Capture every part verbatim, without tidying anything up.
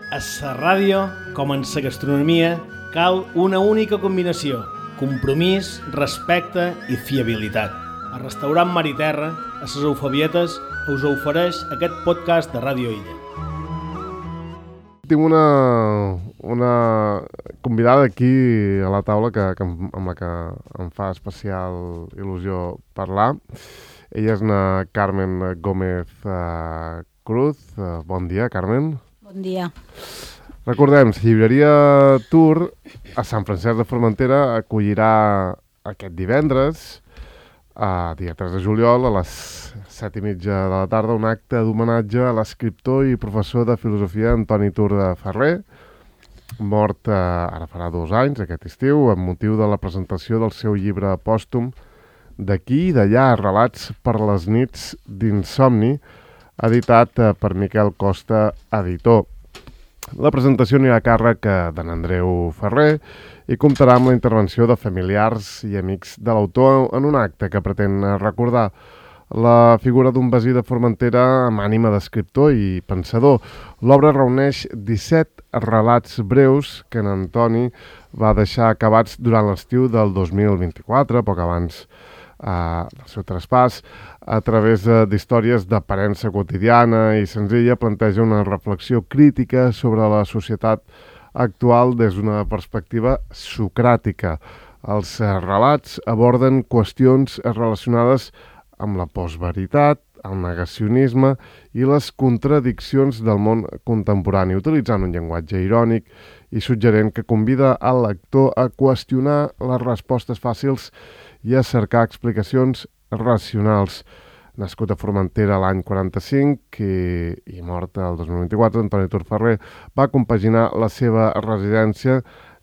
A la ràdio, com en la gastronomia, cal una única combinació: compromís, respecte i fiabilitat. El restaurant Mar i Terra, a les Eufabietes, us ofereix aquest podcast de Ràdio Illa. Tinc una, una convidada aquí a la taula que, que, amb la que em fa especial il·lusió parlar. Ella és na Carmen Gómez uh, Cruz. Uh, bon dia, Carmen. Bon dia. Recordem, la llibreria Tour a Sant Francesc de Formentera acollirà aquest divendres, a dia tres de juliol, a les set i mitja de la tarda, un acte d'homenatge a l'escriptor i professor de filosofia Antoni Tour de Ferrer, mort eh, ara farà dos anys, aquest estiu, amb motiu de la presentació del seu llibre pòstum D'aquí i d'allà, relats per les nits d'insomni, editat eh, per Miquel Costa, editor. La presentació anirà a càrrec d'en Andreu Ferrer i comptarà amb la intervenció de familiars i amics de l'autor en un acte que pretén recordar la figura d'un basí de Formentera amb ànima d'escriptor i pensador. L'obra reuneix disset relats breus que en Antoni va deixar acabats durant l'estiu del dos mil vint-i-quatre, poc abans Uh, del seu traspàs. A través uh, d'històries d'aparença quotidiana i senzilla, planteja una reflexió crítica sobre la societat actual des d'una perspectiva socràtica. Els uh, relats aborden qüestions relacionades amb la postveritat, el negacionisme i les contradiccions del món contemporani, utilitzant un llenguatge irònic i suggerent que convida al lector a qüestionar les respostes fàcils i a cercar explicacions racionals. Nascut a Formentera l'any quaranta-cinc i, i mort el dos mil vint-i-quatre, Antoni Tour Ferrer va compaginar la seva residència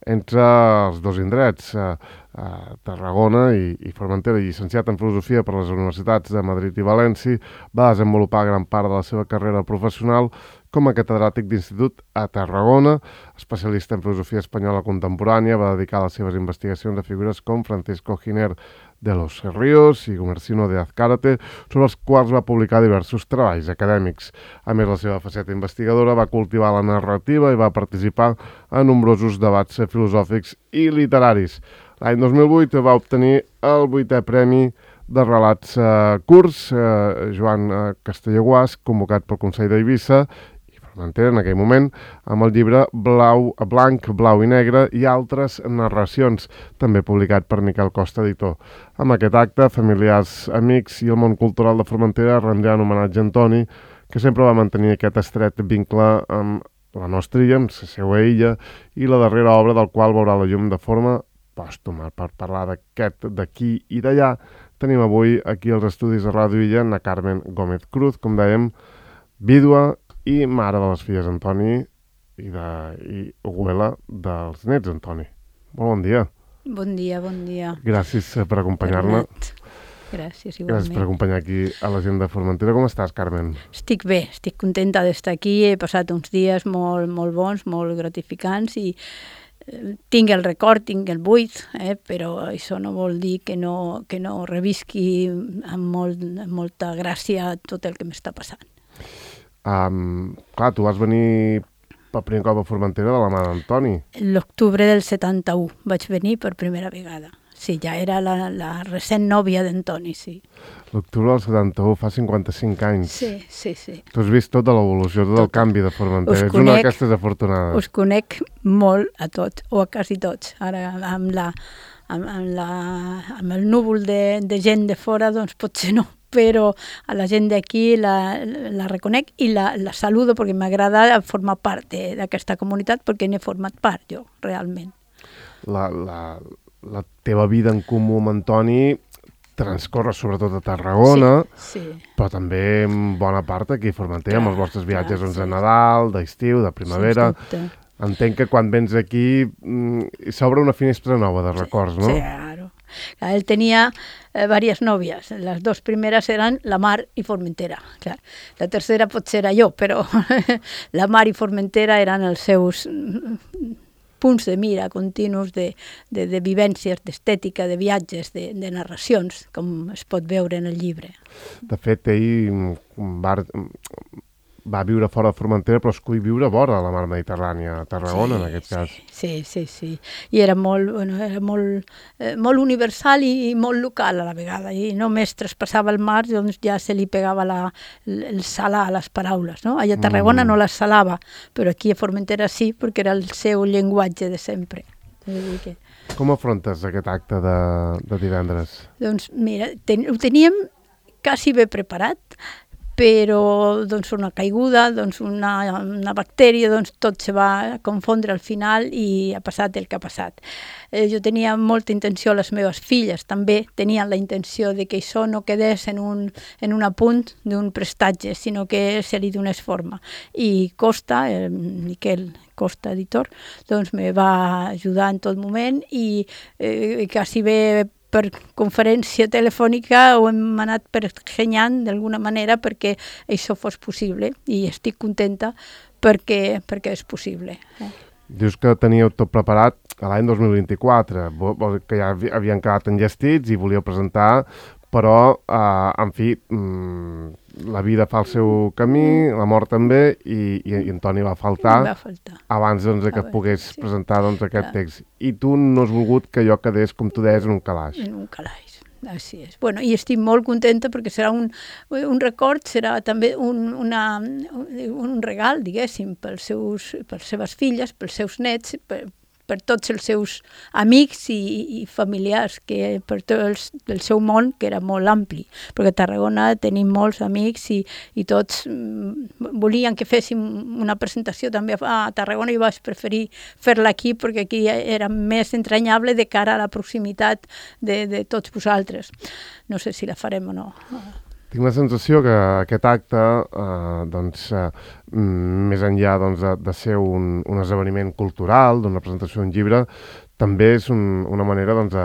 entre els dos indrets, a, a Tarragona i, i Formentera. Llicenciat en Filosofia per les universitats de Madrid i València, va desenvolupar gran part de la seva carrera professional com a catedràtic d'institut a Tarragona. Especialista en filosofia espanyola contemporània, va dedicar les seves investigacions a figures com Francisco Giner de los Ríos i Gumersindo de Azcárate, sobre els quals va publicar diversos treballs acadèmics. A més, la seva faceta investigadora va cultivar la narrativa i va participar en nombrosos debats filosòfics i literaris. L'any dos mil vuit va obtenir el vuitè premi de relats eh, curts, eh, Joan eh, Castellaguàs, convocat pel Consell d'Eivissa, Formentera en aquell moment, amb el llibre Blau, Blanc, Blau i Negre i altres narracions, també publicat per Miquel Costa, editor. Amb aquest acte, familiars, amics i el món cultural de Formentera rendran homenatge a Antoni, que sempre va mantenir aquest estret vincle amb la nostra illa, amb la seva illa, i la darrera obra del qual veurà la llum de forma pòstuma. Per parlar d'aquest d'aquí i d'allà, tenim avui aquí als estudis de Ràdio Illa na Carmen Gómez Cruz, com dèiem, vídua i mare de les filles Antoni i, de, i abuela dels nets Antoni. Molt bon dia. Bon dia, bon dia. Gràcies per acompanyar-me. Gràcies, igualment. Gràcies per acompanyar aquí a la gent de Formentera. Com estàs, Carmen? Estic bé, estic contenta d'estar aquí. He passat uns dies molt, molt bons, molt gratificants i eh, tinc el record, tinc el buit, eh, però això no vol dir que no, que no revisqui amb, molt, amb molta gràcia tot el que m'està passant. Um, clar, tu vas venir per primer cop a Formentera de la mà d'Antoni. L'octubre del setanta-u vaig venir per primera vegada. Sí, ja era la, la recent nòvia d'Antoni, sí. L'octubre del setanta-u, fa cinquanta-cinc anys. Sí, sí, sí. Tu has vist tota l'evolució, tot, tot el canvi de Formentera. Ets conec, una d'aquestes afortunades. Us conec molt a tots, o a quasi tots. Ara, amb, la, amb, amb, la, amb el núvol de, de gent de fora, doncs potser no. Però a la gent d'aquí la, la reconec i la, la saludo perquè m'agrada formar part d'aquesta comunitat, perquè n'he format part jo, realment. La, la, la teva vida en comú amb Antoni transcorre sobretot a Tarragona, sí, sí. Però també en bona part aquí a Formentera, amb els vostres viatges doncs, de Nadal, d'estiu, de primavera. Entenc que quan vens aquí mm, s'obre una finestra nova de records, no? Sí, claro. Él tenía eh, varias novias. Las dos primeras eran la Mar y Formentera. Clar. La tercera potser era jo, però la Mar i Formentera eren els seus punts de mira continus de, de, de vivències, d'estètica, de viatges, de, de narracions, com es pot veure en el llibre. De fet, ell va va viure fora de Formentera, però escull viure vora la mar Mediterrània, a Tarragona, sí, en aquest cas. Sí, sí, sí. I era molt, bueno, era molt, eh, molt universal i, i molt local a la vegada. I només traspassava el mar, doncs ja se li pegava la, el, el salar a les paraules, no? Allà a Tarragona mm. no les salava, però aquí a Formentera sí, perquè era el seu llenguatge de sempre. Que... Com afrontes aquest acte de, de divendres? Doncs mira, ten, ho teníem quasi bé preparat, però doncs, una caiguda, doncs, una, una bactèria, doncs, tot se va confondre al final i ha passat el que ha passat. Eh, jo tenia molta intenció, les meves filles també tenien la intenció de que això no quedés en un, en un apunt d'un prestatge, sinó que se li donés forma. I Costa, el Miquel Costa, editor, doncs me va ajudar en tot moment i eh, quasi bé per conferència telefònica ho hem anat pergenyant d'alguna manera perquè això fos possible i estic contenta perquè, perquè és possible. Eh? Dius que teníeu tot preparat a l'any dos mil vint-i-quatre, que ja havien quedat enllestits i volíeu presentar, però, eh, en fi, mmm, la vida fa el seu camí, la mort també, i, i, i Antoni va faltar, va faltar. abans doncs, que et pogués sí. presentar doncs, aquest Clar. text. I tu no has volgut que allò quedés, com tu deies, en un calaix. En un calaix, així és. Bueno, i estic molt contenta perquè serà un, un record, serà també un, una, un regal, diguéssim, pels seus, per les seves filles, pels seus nets, per, per tots els seus amics i, i familiars, que per tot el, el seu món, que era molt ampli, perquè a Tarragona tenim molts amics i, i tots mm, volien que féssim una presentació també a Tarragona i vaig preferir fer-la aquí perquè aquí era més entranyable de cara a la proximitat de, de tots vosaltres. No sé si la farem o no. Tinc la sensació que aquest acte, eh, doncs, eh, més enllà doncs, de, de ser un, un esdeveniment cultural, d'una presentació d'un llibre, també és un, una manera doncs,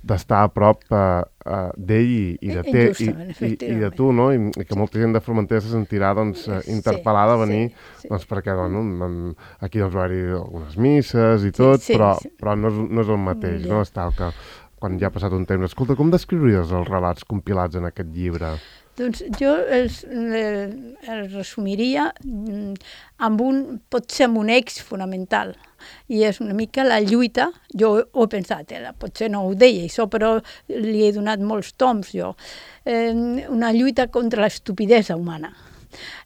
d'estar a prop eh, eh, d'ell i, i de te, i, i, i de tu, no? I, i que molta gent de Formentera se sentirà doncs, interpel·lada a venir, sí, sí. Doncs, perquè bueno, aquí doncs, va haver-hi algunes misses i tot, sí, sí, però, sí. però no, és, no és el mateix, no? És tal que quan ja ha passat un temps. Escolta, com descriuries els relats compilats en aquest llibre? Doncs jo els, els resumiria amb un, potser amb un eix fonamental, i és una mica la lluita, jo ho he pensat, eh, potser no ho deia això, però li he donat molts toms jo, eh, una lluita contra l'estupidesa humana,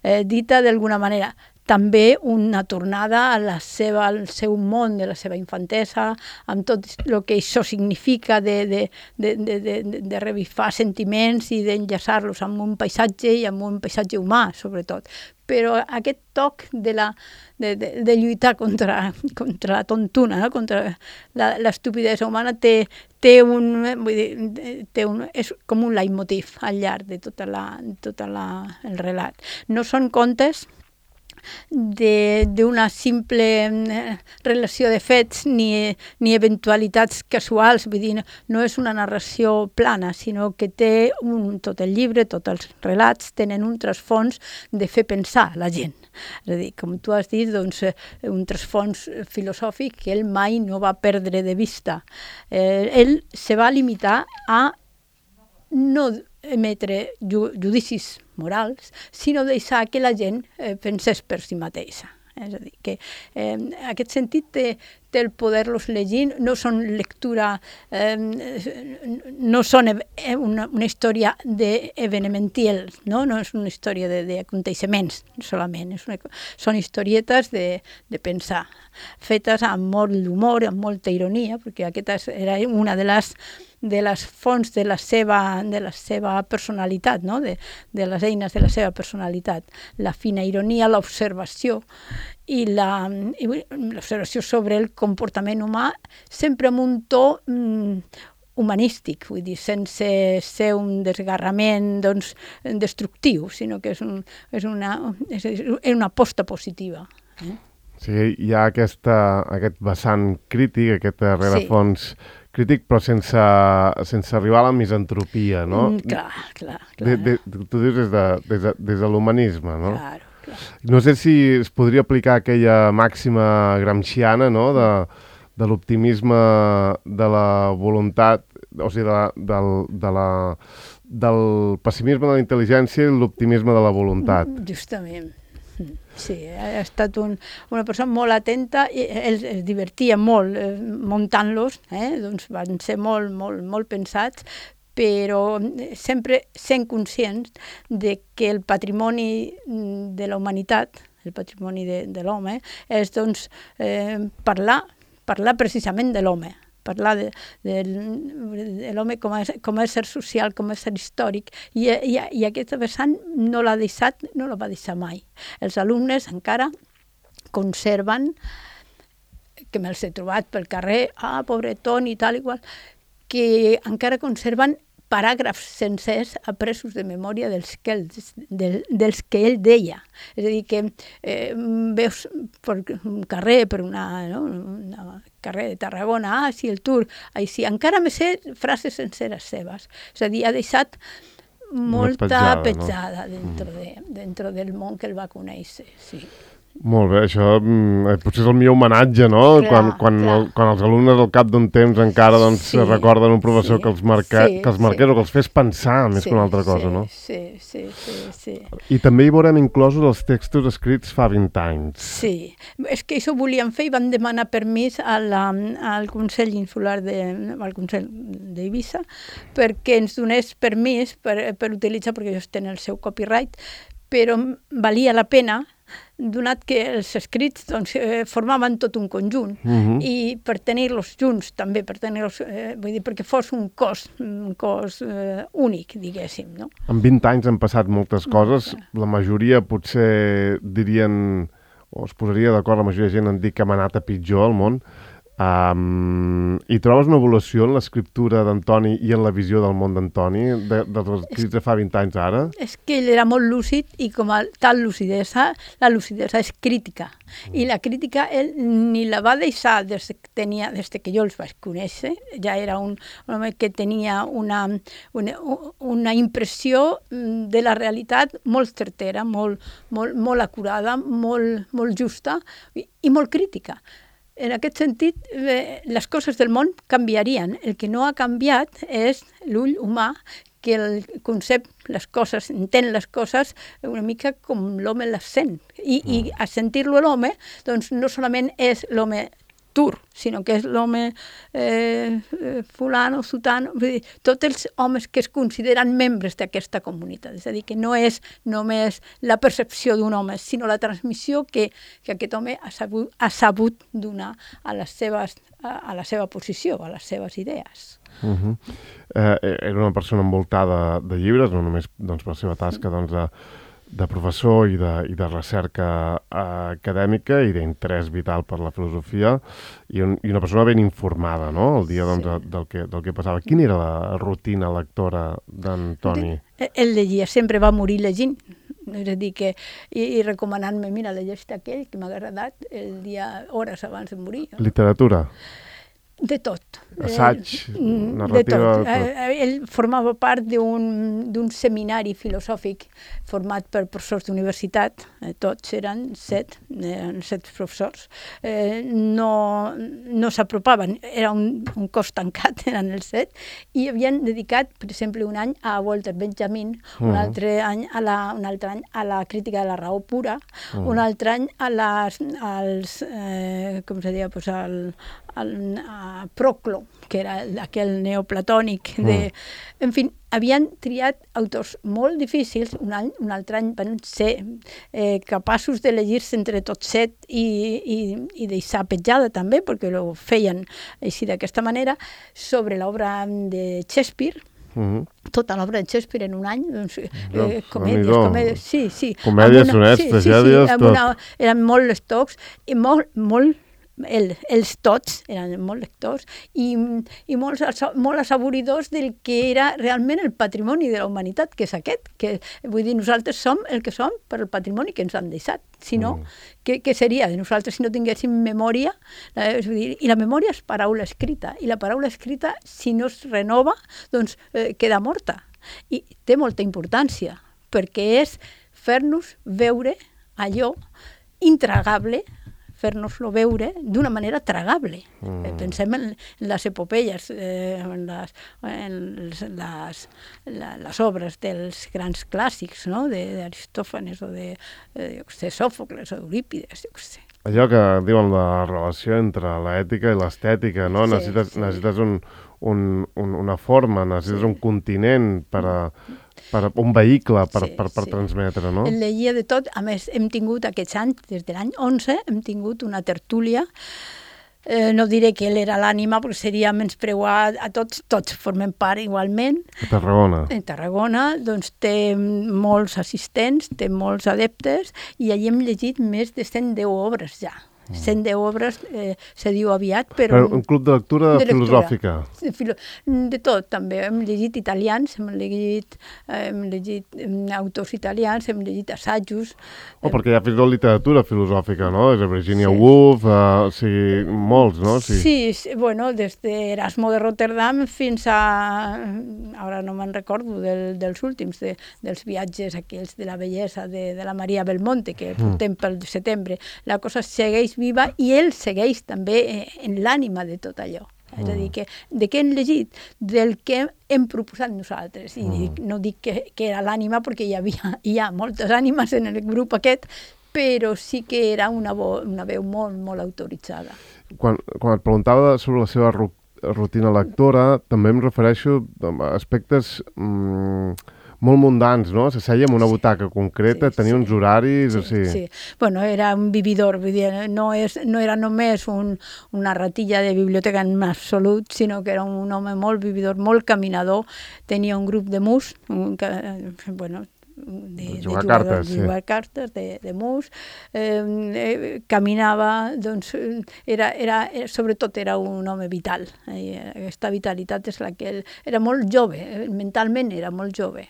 eh, dita d'alguna manera. També una tornada a la seva, al seu món de la seva infantesa, amb tot el que això significa de, de, de, de, de, de revifar sentiments i d'enllaçar-los amb un paisatge i amb un paisatge humà, sobretot. Però aquest toc de, la, de, de, de lluitar contra, contra la tontuna, no? Contra l'estupidesa humana, té, té, un, vull dir, té un, és com un leitmotiv al llarg de tot la, tota la, el relat. No són contes d'una simple relació de fets ni, ni eventualitats casuals, vull dir, no és una narració plana, sinó que té un, tot el llibre, tots els relats tenen un trasfons de fer pensar la gent. És a dir, com tu has dit, doncs, un trasfons filosòfic que ell mai no va perdre de vista. Eh, ell se va limitar a no emetre ju judicis morals, sinó deixar que la gent eh, pensés per si mateixa. És a dir, que eh, en aquest sentit té, té el poder-los llegir, no són lectura, eh, no són una, una història d'evenementiel, no? No és una història d'aconteixements solament, és una, són historietes de, de pensar, fetes amb molt d'humor, amb molta ironia, perquè aquesta era una de les de les fonts de la seva, de la seva personalitat, no? de, de les eines de la seva personalitat. La fina ironia, l'observació i l'observació sobre el comportament humà, sempre amb un to mm, humanístic, vull dir, sense ser un desgarrament doncs, destructiu, sinó que és, un, és, una, és una aposta positiva. Eh? Sí, hi ha aquesta, aquest vessant crític, aquest rerefons sí. crític, però sense, sense arribar a la misantropia, no? Mm, clar, clar. clar. De, de, tu dius des de, des de, des de l'humanisme, no? Claro, clar. No sé si es podria aplicar aquella màxima gramsciana, no?, de, de l'optimisme de la voluntat, o sigui, de, del, de la, del pessimisme de la intel·ligència i l'optimisme de la voluntat. Justament. sí, ha estat un, una persona molt atenta, i es, es divertia molt eh, muntant-los, eh? Doncs van ser molt, molt, molt pensats, però sempre sent conscients de que el patrimoni de la humanitat, el patrimoni de, de l'home, és doncs, eh, parlar, parlar precisament de l'home, parlar de, de, de l'home com a, com a ésser social, com a ésser històric, i, i, i aquesta vessant no l'ha deixat, no la va deixar mai. Els alumnes encara conserven, que me'ls he trobat pel carrer, ah, pobretón i tal i qual, que encara conserven paràgrafs sencers apresos de memòria dels que, ell, del, dels que ell deia. És a dir, que eh, veus per un carrer, per una, no, una carrer de Tarragona, ah, sí, el Tour, així, encara me sé frases senceres seves. És a dir, ha deixat molta petjada, petjada no? dentro, de, dentro del món que el va conèixer, sí. Molt bé, això eh, potser és el millor homenatge, no? Clar, quan, quan, el, quan els alumnes al cap d'un temps encara doncs, sí, recorden un professor sí, que els, marca, sí, que els marqués sí. o que els fes pensar més sí, que una altra cosa, sí, no? Sí, sí, sí, sí. I també hi veurem inclosos els textos escrits fa vint anys. Sí, és que això volíem fer i van demanar permís a la, al Consell Insular de, al Consell d'Eivissa perquè ens donés permís per, per utilitzar, perquè ells tenen el seu copyright, però valia la pena donat que els escrits doncs, eh, formaven tot un conjunt uh-huh. i per tenir-los junts també, per tenir-los, eh, vull dir, perquè fos un cos, un cos eh, únic, diguéssim, no? En vint anys han passat moltes coses, la majoria potser dirien, o es posaria d'acord, la majoria de gent en dir que hem anat a pitjor al món. Um, I trobes una evolució en l'escriptura d'Antoni i en la visió del món d'Antoni, de, dels escrits de fa vint anys ara? És que ell era molt lúcid i com a tal lucidesa, la lucidesa és crítica. Mm. I la crítica ell ni la va deixar des que, tenia, des que jo els vaig conèixer. Ja era un, un home que tenia una, una, una impressió de la realitat molt certera, molt, molt, molt acurada, molt, molt justa i, i molt crítica. En aquest sentit, eh, les coses del món canviarien. El que no ha canviat és l'ull humà, que el concepte, les coses, entén les coses una mica com l'home les sent. I, mm. i a sentir-lo l'home, doncs no solament és l'home Tour, sinó que és l'home eh, fulano, sutano, vull dir, tots els homes que es consideren membres d'aquesta comunitat. És a dir, que no és només la percepció d'un home, sinó la transmissió que, que aquest home ha sabut, ha sabut donar a, les seves, a, a la seva posició, a les seves idees. Uh-huh. eh, era una persona envoltada de llibres, no només doncs, per la seva tasca doncs, de de professor i de, i de recerca uh, acadèmica i d'interès vital per la filosofia i, un, i una persona ben informada, no?, el dia doncs, sí. del, que, del que passava. Quina era la rutina lectora d'Antoni? Ell llegia, sempre va morir llegint. És a dir, que, i, i recomanant-me, mira, llegeix aquell que m'ha agradat el dia, hores abans de morir. Literatura? De tot. Assaig, eh, narrativa... De tot. Eh, ell formava part d'un seminari filosòfic format per professors d'universitat, eh, tots eren set, eren set professors. Eh, no no s'apropaven, era un, un cos tancat, eren els set, i havien dedicat, per exemple, un any a Walter Benjamin, uh-huh. un, altre any a la, un altre any a la crítica de la raó pura, uh-huh. un altre any a les, als, eh, com se deia, pues al, al, a Proclo, que era aquell neoplatònic. De... Mm. En fi, havien triat autors molt difícils, un any, un altre any van ser eh, capaços de llegir-se entre tots set i, i, i deixar petjada també, perquè ho feien així d'aquesta manera, sobre l'obra de Shakespeare. Mm-hmm. Tota l'obra de Shakespeare en un any, doncs, no, eh, comèdies, comèdies, sí, sí. Comèdies, sonets, sí, tragèdies, sí, sí, una, eren molt lectors i molt, molt El, els tots eren molt lectors i, i molts, molt assaboridors del que era realment el patrimoni de la humanitat, que és aquest, que vull dir, nosaltres som el que som per el patrimoni que ens han deixat, si no, mm. què, què seria de nosaltres si no tinguéssim memòria? És dir, i la memòria és paraula escrita, i la paraula escrita, si no es renova, doncs eh, queda morta, i té molta importància, perquè és fer-nos veure allò intragable fer-nos-lo veure d'una manera tragable. Mm. Pensem en les epopeies, eh, en, les, en les, les, les obres dels grans clàssics, no? d'Aristòfanes o de, de sé, Sòfocles o d'Eurípides, jo què sé. Allò que diuen la relació entre l'ètica i l'estètica, no? Sí, necessites, sí. necessites un, un, un, una forma, necessites sí. un continent per a, per a un vehicle per, sí, per, per sí. transmetre, no? En llegia de tot, a més, hem tingut aquests anys, des de l'any onze, hem tingut una tertúlia. Eh, no diré que ell era l'ànima, perquè seria menyspreuar a tots, tots formem part igualment. A Tarragona. En Tarragona, doncs té molts assistents, té molts adeptes, i allí hem llegit més de cent deu obres ja. cent deu obres, eh, se diu aviat, però... però un club de lectura de filosòfica. De, filo... de tot, també. Hem llegit italians, hem llegit, eh, hem llegit autors italians, hem llegit assajos... Oh, perquè hi ha fins i tot literatura filosòfica, no? Des de Virginia sí. Woolf, eh, o sigui, molts, no? Sí, sí, sí, bueno, des d'Erasmo de Rotterdam fins a... Ara no me'n recordo del, dels últims, de, dels viatges aquells de la bellesa de, de la Maria Belmonte, que portem mm. pel setembre. La cosa segueix viva i ell segueix també en l'ànima de tot allò. Mm. És a dir, que de què hem llegit? Del que hem proposat nosaltres. I mm. no dic que, que era l'ànima perquè hi havia hi ha moltes ànimes en el grup aquest, però sí que era una, vo, una veu molt, molt autoritzada. Quan, quan et preguntava sobre la seva rutina lectora, també em refereixo a aspectes... Mm, molt mundans, no? Se seia en una butaca concreta, sí, tenia sí. uns horaris... Sí, o sigui... sí. Bueno, era un vividor, vull dir, no, és, no era només un, una ratilla de biblioteca en absolut, sinó que era un home molt vividor, molt caminador, tenia un grup de mus, un, bueno, de, de jugar cartes, de jugar sí. cartes, de, de mus, eh, eh, caminava, doncs, era, era, sobretot era un home vital. Eh, aquesta vitalitat és la que ell, era molt jove, mentalment era molt jove.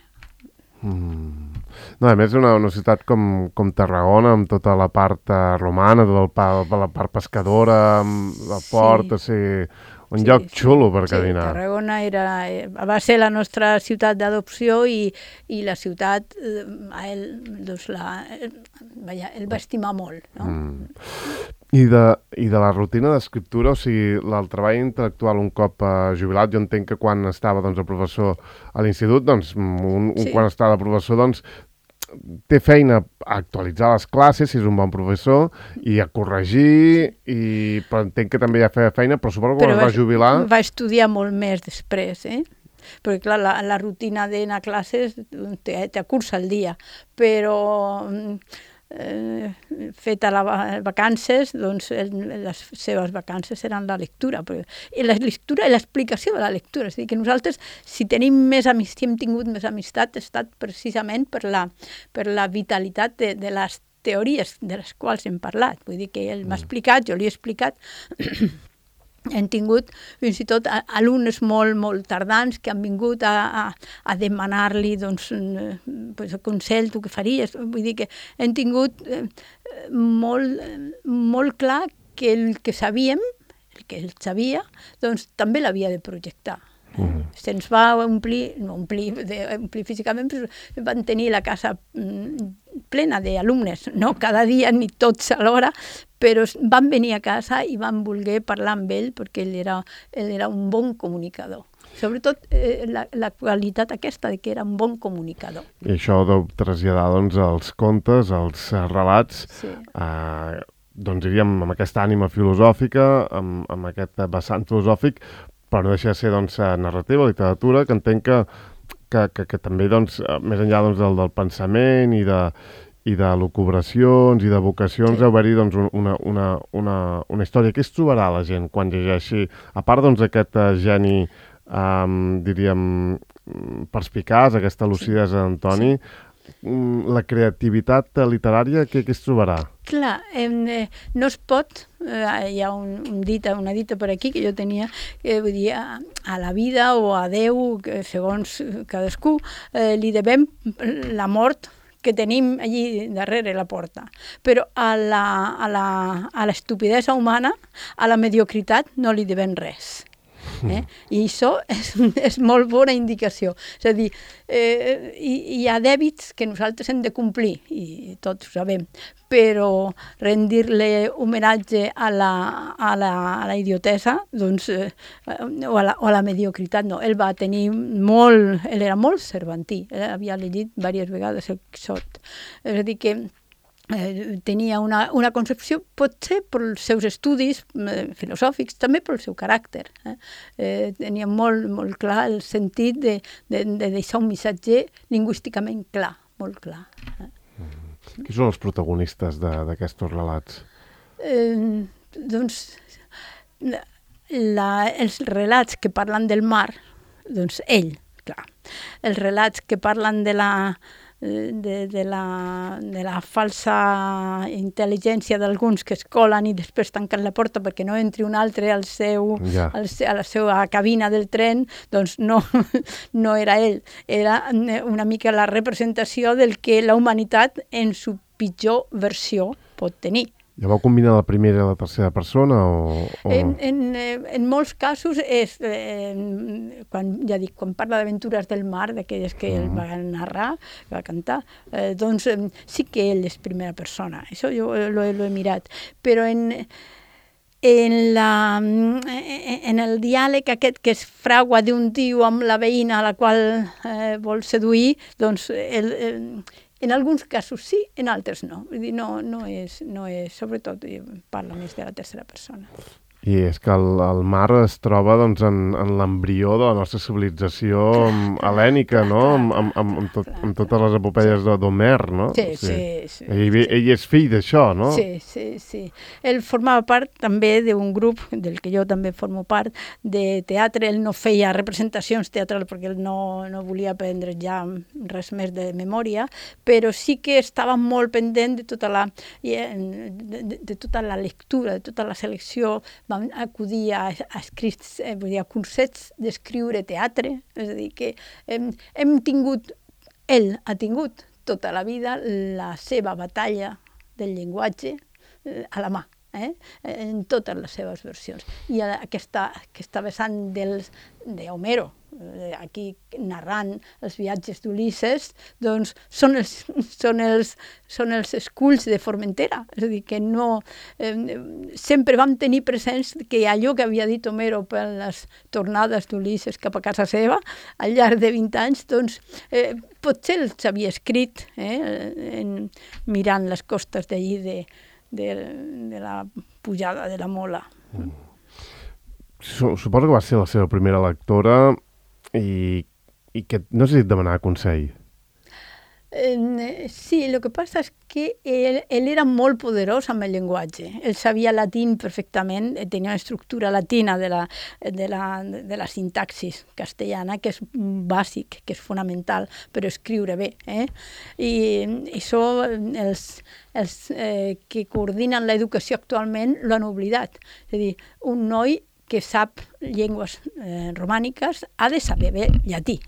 Mm. No, a més, una, una ciutat com, com Tarragona, amb tota la part uh, romana, tota la, la part pescadora, amb el port, sí. o sigui, un sí, lloc xulo per sí, caminar. Tarragona era, va ser la nostra ciutat d'adopció i, i la ciutat, eh, a ell, doncs la, vaja, ell va estimar molt, no? Mm. I de, I de la rutina d'escriptura, o sigui, el treball intel·lectual un cop uh, jubilat, jo entenc que quan estava doncs, el professor a l'institut, doncs, un, un, sí. quan estava el professor, doncs, té feina a actualitzar les classes, si és un bon professor, i a corregir, i però entenc que també ja feia feina, però suposo que quan es va jubilar... Va estudiar molt més després, eh? Perquè, clar, la, la rutina d'anar a classes té, té curs al dia, però... Eh, feta les vacances, doncs el, les seves vacances eren la lectura. Però, i la lectura i l'explicació de la lectura. És a dir, que nosaltres, si tenim més amistat, si hem tingut més amistat, ha estat precisament per la, per la vitalitat de, de les teories de les quals hem parlat. Vull dir que ell m'ha explicat, jo li he explicat... Hem tingut fins i tot alumnes molt, molt tardans que han vingut a, a, a demanar-li doncs, pues, consell, tu què faries? Vull dir que hem tingut eh, molt, molt clar que el que sabíem, el que ell sabia, doncs també l'havia de projectar. Uh-huh. Se'ns va omplir, no omplir, de, omplir físicament, però van tenir la casa plena d'alumnes, no cada dia ni tots alhora, però van venir a casa i van voler parlar amb ell perquè ell era, ell era un bon comunicador. Sobretot eh, la, la qualitat aquesta de que era un bon comunicador. I això deu traslladar doncs, els contes, els relats, sí. eh, doncs diríem amb aquesta ànima filosòfica, amb, amb aquest vessant filosòfic, però no deixa de ser doncs, narrativa, literatura, que entenc que, que, que, que també, doncs, més enllà doncs, del, del pensament i de, i de lucubracions i de vocacions, sí. deu haver-hi doncs, una, una, una, una història. Què es trobarà la gent quan llegeixi? A part doncs, aquest uh, geni, um, diríem, perspicaç, aquesta lucidesa d'Antoni, sí. la creativitat literària, què, què es trobarà? Clar, eh, no es pot, eh, hi ha un, un dita, una dita per aquí que jo tenia, que vull dir, a, a la vida o a Déu, que segons cadascú, eh, li devem la mort que tenim allí darrere la porta. Però a la, a la, a l'estupidesa humana, a la mediocritat, no li devem res. Eh? I això és, és molt bona indicació. És a dir, eh, hi, hi ha dèbits que nosaltres hem de complir, i tots ho sabem, però rendir-li homenatge a la, a la, a la idiotesa, doncs, eh, o, a la, o a la mediocritat, no. Ell va tenir molt, ell era molt cervantí, ell havia llegit diverses vegades el Quixot. És a dir, que Eh, tenia una, una concepció, potser pels seus estudis eh, filosòfics, també pel seu caràcter. Eh? Eh, tenia molt, molt clar el sentit de, de, de deixar un missatge lingüísticament clar, molt clar. Eh? Mm. Qui són els protagonistes d'aquests relats? Eh, doncs, la, els relats que parlen del mar, doncs ell, clar. Els relats que parlen de la De, de, la, de la falsa intel·ligència d'alguns que es colen i després tanquen la porta perquè no entri un altre al seu, ja. al, a la seva cabina del tren, doncs no, no era ell. Era una mica la representació del que la humanitat en su pitjor versió pot tenir. Ja vau combinar la primera i la tercera persona? O, o... En, en, en molts casos, és, eh, quan, ja dic, quan parla d'aventures del mar, d'aquelles que ell va narrar, va cantar, eh, doncs eh, sí que ell és primera persona. Això jo lo, lo he mirat. Però en, en, la, en el diàleg aquest que es fragua d'un tio amb la veïna a la qual eh, vol seduir, doncs el, el, en alguns casos sí, en altres no. Vull dir, no, no és, no és, sobretot parla més de la tercera persona. I és que el, el mar es troba doncs, en, en l'embrió de la nostra civilització hel·lènica, no? Amb, amb, amb, amb, tot, amb totes les epopeies d'Homer, no? Sí, sí. sí, ell, sí. ell és fill d'això, no? Sí, sí, sí. Ell formava part també d'un grup, del que jo també formo part, de teatre. Ell no feia representacions teatrals perquè ell no, no volia aprendre ja res més de memòria, però sí que estava molt pendent de tota la, de, de, de tota la lectura, de tota la selecció. Vam acudir a, a, escrits, eh, vull dir, a cursets d'escriure teatre, és a dir, que hem, hem tingut, ell ha tingut tota la vida la seva batalla del llenguatge eh, a la mà, eh? En totes les seves versions. I aquesta, aquesta vessant dels, d'Homero, aquí narrant els viatges d'Ulisses, doncs són els, són els, són els esculls de Formentera. És a dir, que no... Eh, sempre vam tenir presents que allò que havia dit Homero per les tornades d'Ulisses cap a casa seva, al llarg de vint anys, doncs eh, potser els havia escrit eh, en, mirant les costes d'allí de, de, de la pujada de la Mola. Mm. Suposo que va ser la seva primera lectora i, i que no sé si et demanava consell. Eh, sí, el que passa és que ell, ell era molt poderós amb el llenguatge. Ell sabia latín perfectament, tenia una estructura latina de la, de la, de la sintaxis castellana, que és bàsic, que és fonamental per escriure bé. Eh? I això els, els eh, que coordinen l'educació actualment l'han oblidat. És a dir, un noi que sap llengües eh, romàniques ha de saber bé llatí.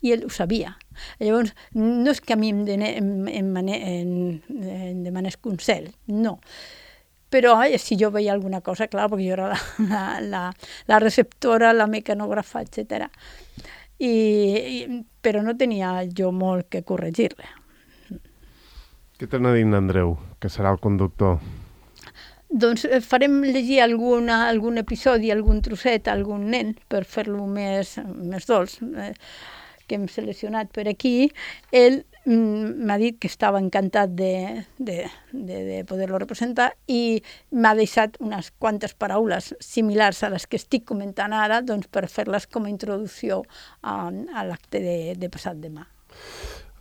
I ell ho sabia. Llavors, no és que a mi em, dene, em, em, em, em demanés consell, no. Però ai, si jo veia alguna cosa, clar, perquè jo era la, la, la, la receptora, la mecanògrafa, etcètera. I, i, però no tenia jo molt que corregir-le. Què t'ha dit Andreu, que serà el conductor? Doncs farem llegir alguna, algun episodi, algun trosset a algun nen per fer-lo més, més dolç, eh, que hem seleccionat per aquí. Ell mm, m'ha dit que estava encantat de, de, de, de poder-lo representar i m'ha deixat unes quantes paraules similars a les que estic comentant ara, doncs per fer-les com a introducció a, a l'acte de, de passat demà.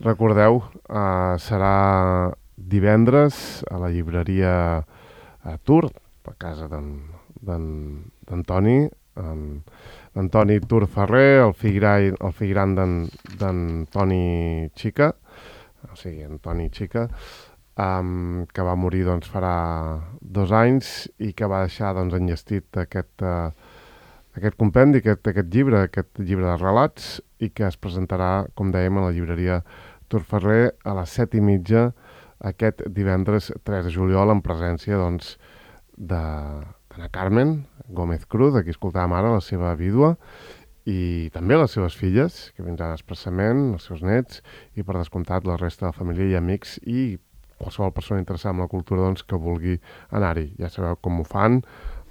Recordeu, uh, serà divendres a la llibreria a Tur, a casa d'Antoni, d'Antoni Tur Ferrer, el fill gran, el fill gran d'Antoni Xica, o sigui, Antoni Xica, um, que va morir doncs, farà dos anys i que va deixar doncs, enllestit aquest, uh, aquest compendi, aquest, aquest llibre, aquest llibre de relats, i que es presentarà, com dèiem, a la llibreria Tur Ferrer a les set i mitja aquest divendres tres de juliol en presència doncs, de Ana Carmen Gómez Cruz, aquí escoltàvem ara la seva vídua, i també les seves filles, que vindran expressament, els seus nets, i per descomptat la resta de la família i amics, i qualsevol persona interessada en la cultura doncs, que vulgui anar-hi. Ja sabeu com ho fan,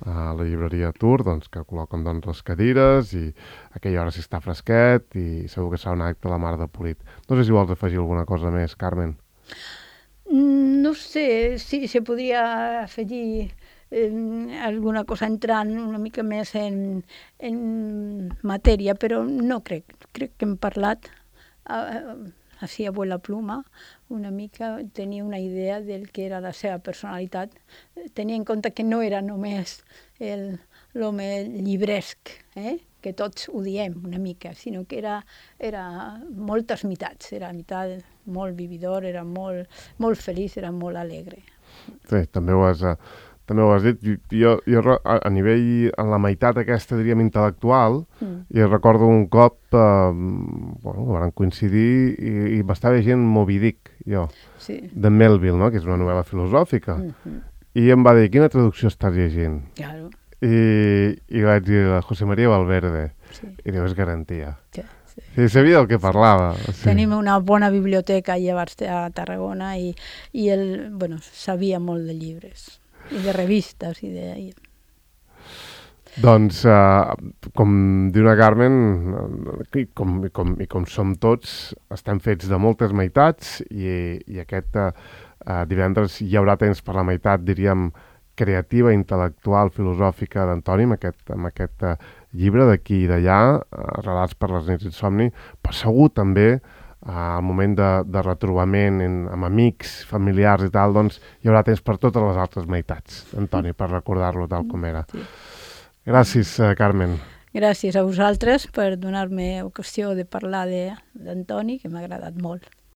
a la llibreria Tour, doncs, que col·loquen doncs, les cadires, i a aquella hora si està fresquet, i segur que serà un acte la mar de polit. No sé si vols afegir alguna cosa més, Carmen. No sé, sí, se podria afegir eh, alguna cosa entrant una mica més en, en matèria, però no crec. Crec que hem parlat, eh, així a la pluma, una mica tenia una idea del que era la seva personalitat. Tenia en compte que no era només l'home llibresc, eh? que tots ho diem una mica, sinó que era, era moltes mitats. Era mitat molt vividor, era molt, molt feliç, era molt alegre. Sí, també ho has, també ho has dit. Jo, jo a, a nivell, en la meitat aquesta, diríem, intel·lectual, mm. i recordo un cop, eh, bueno, van coincidir i, i m'estava llegint Moby Dick, jo, sí. de Melville, no? Que és una novel·la filosòfica. Mm-hmm. I em va dir, quina traducció estàs llegint? Claro. I, i vaig dir, la José María Valverde. Sí. I diu, és garantia. Sí, sí. Sí, sabia del que parlava. Sí. Tenim una bona biblioteca allà a Tarragona i, i ell, bueno, sabia molt de llibres i de revistes i de... Doncs, uh, com diu la Carmen, i com, i, com, i com som tots, estem fets de moltes meitats i, i aquest uh, divendres hi haurà temps per la meitat, diríem, creativa, intel·lectual, filosòfica d'Antoni, amb aquest, amb aquest uh, llibre d'aquí i d'allà, uh, relats per les nits d'insomni, però segur també uh, al moment de, de retrobament en, amb amics, familiars i tal, doncs hi haurà temps per totes les altres meitats, Antoni, per recordar-lo tal com era. Sí. Gràcies, uh, Carmen. Gràcies a vosaltres per donar-me ocasió de parlar d'Antoni, que m'ha agradat molt.